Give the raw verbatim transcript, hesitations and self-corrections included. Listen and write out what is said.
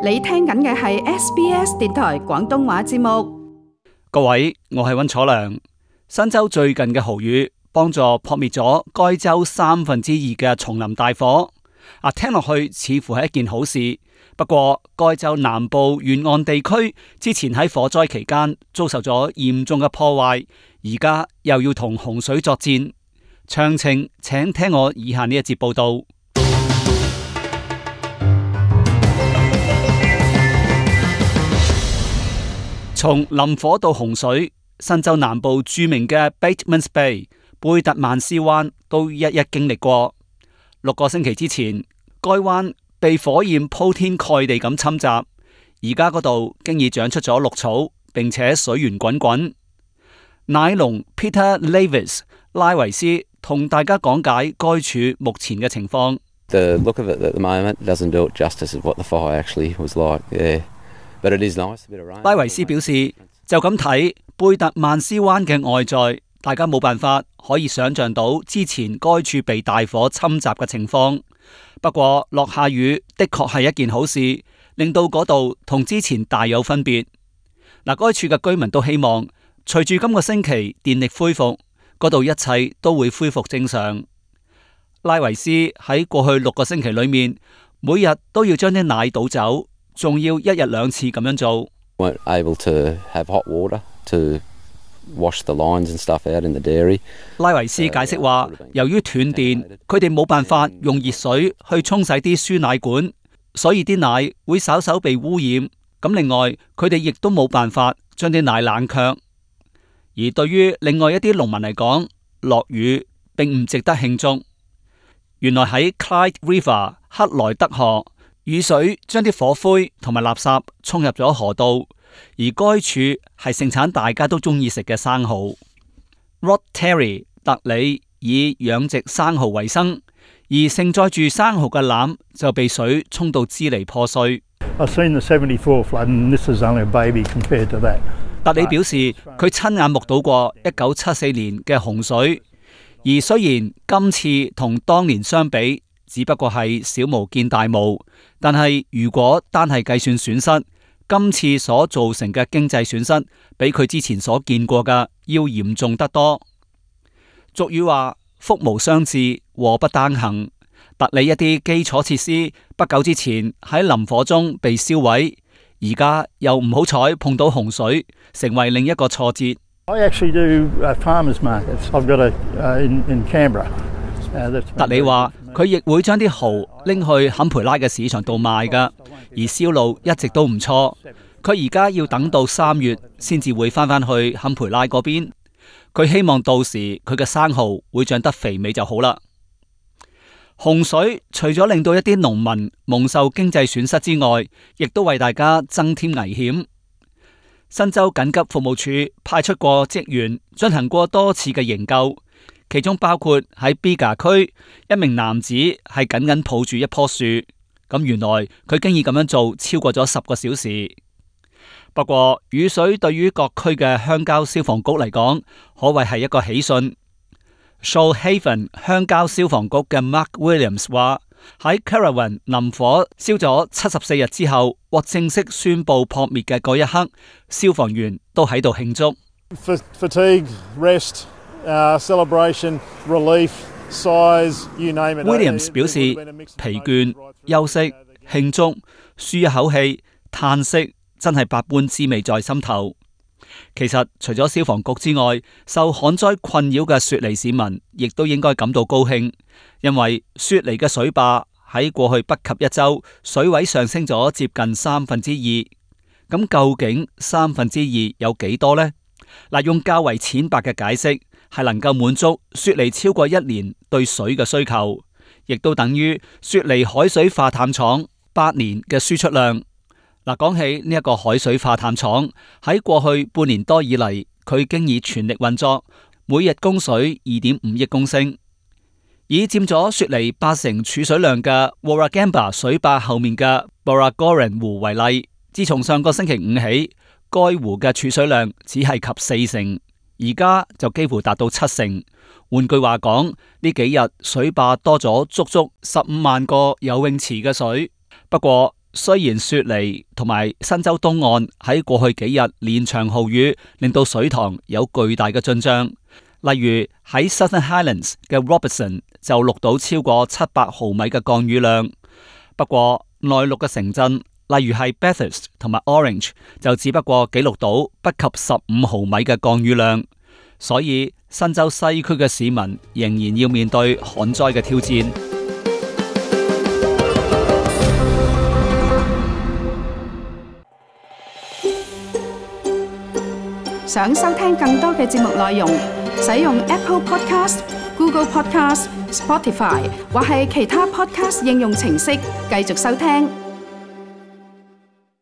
你聽緊嘅係 S B S 電台廣東話節目。各位，我係溫楚良。新州最近嘅豪雨幫助撲滅咗該州三分之二嘅叢林大火。啊，聽落去似乎係一件好事。不過，該州南部沿岸地區之前喺火災期間遭受咗嚴重嘅破壞，而家又要同洪水作戰。詳情請聽我以下呢一節報道。從林火到洪水，新州南部著名嘅 Batemans Bay 貝特曼斯灣都一一經歷過。六個星期之前，該灣被火焰鋪天蓋地咁侵襲，而家嗰度經已長出咗綠草，並且水源滾滾。奶農 Peter Lavis 拉維斯同大家講解該處目前嘅情況。The look of it at the moment doesn't do it justice of what the fire actually was like. Yeah. But it is nice, a bit of rain. 拉維斯表示，就咁睇貝特曼斯灣嘅外在，大家冇辦法可以想象到之前該處被大火侵襲嘅情況。不過落下雨的確係一件好事，令到嗰度同之前大有分別。嗱，該處嘅居民都希望隨住今個星期電力恢復，嗰度一切都會恢復正常。拉維斯喺過去六個星期裏面，每日都要將啲奶倒走，仲要一日兩次咁樣做。Weren't able to have hot water to wash the lines and stuff out in the dairy. 拉維斯解釋話，由於斷電，佢哋冇辦法用熱水去沖洗啲輸奶管，所以啲奶會稍稍被污染。咁另外，佢哋亦都冇辦法將啲奶冷卻。而對於另外一啲農民嚟講，落雨並唔值得慶祝。原來喺 Clyde River 克萊德河，雨水將啲火灰同埋垃圾沖入咗河道，而該處係盛產大家都中意食嘅生蠔。Rod Terry 特里以養殖生蠔為生，而盛載住生蠔嘅籃就被水沖到支離破碎。I've seen the seventy-four flood, and this is only a baby compared to that. 特里表示，佢親眼目睹過一九七四年嘅洪水，而雖然今次同當年相比，只不過係小巫見大巫，但係如果單係計算損失，今次所造成嘅經濟損失，比佢之前所見過嘅要嚴重得多。俗語話：福無雙至，禍不單行。特里一啲基礎設施不久之前喺林火中被燒毀，而家又唔好彩碰到洪水，成為另一個挫折。I actually do uh, farmers markets. I've got a uh, in in Canberra. 特里話佢亦會將啲蠔拎去坎培拉嘅市場度賣㗎，而銷路一直都唔錯。佢而家要等到三月先至會翻返去坎培拉嗰邊。佢希望到時佢嘅生蠔會長得肥美就好啦。洪水除咗令到一啲農民蒙受經濟損失之外，亦都為大家增添危險。新州緊急服務處派出過職員進行過多次嘅營救，其中包括喺 Bega 區一名男子係緊緊抱住一棵樹，咁原來佢經已咁樣做超過咗十個小時。不過雨水對於各區嘅鄉郊消防局嚟講，可謂係一個喜訊。Shoalhaven 鄉郊消防局嘅 Mark Williams 話，喺 Currawong 林火燒咗七十四日之後，獲正式宣布撲滅嘅嗰一刻，消防員都喺度慶祝。Fatigue, rest, uh, celebration, relief, sighs, you name it. Williams 表示疲倦、休息、慶祝、舒一口氣、嘆息，真係百般滋味在心頭。其實除咗消防局之外，受旱災困擾嘅雪梨市民亦都應該感到高興，因為雪梨嘅水壩喺過去不及一周水位上升咗接近三分之二。咁究竟三分之二有幾多呢？嗱，用較為淺白嘅解釋係能夠滿足雪梨超過一年對水嘅需求，亦都等於雪梨海水化淡廠八年嘅輸出量。嗱，講起呢一個海水化淡廠喺過去半年多以嚟，佢經已全力運作，每日供水二點五億公升。以佔咗雪梨八成儲水量嘅 Warragamba 水壩後面嘅 Borragoran 湖為例，自從上個星期五起，該湖嘅儲水量只係及四成，而家就幾乎達到七成。換句話講，呢幾日水壩多咗足足十五萬個游泳池嘅水。不過雖然雪梨同埋新州東岸喺過去幾日連場豪雨，令到水塘有巨大嘅進賬，例如喺 Southern Highlands 嘅 Robertson 就錄到超過七百毫米嘅降雨量。不過內陸嘅城鎮，例如係 Bathurst 同埋 Orange 就只不過記錄到不及十五毫米嘅降雨量，所以新州西區嘅市民仍然要面對旱災嘅挑戰。想收聽更多嘅節目內容，使用 Apple Podcast、Google Podcast、Spotify 或係其他 Podcast 應用程式繼續收聽。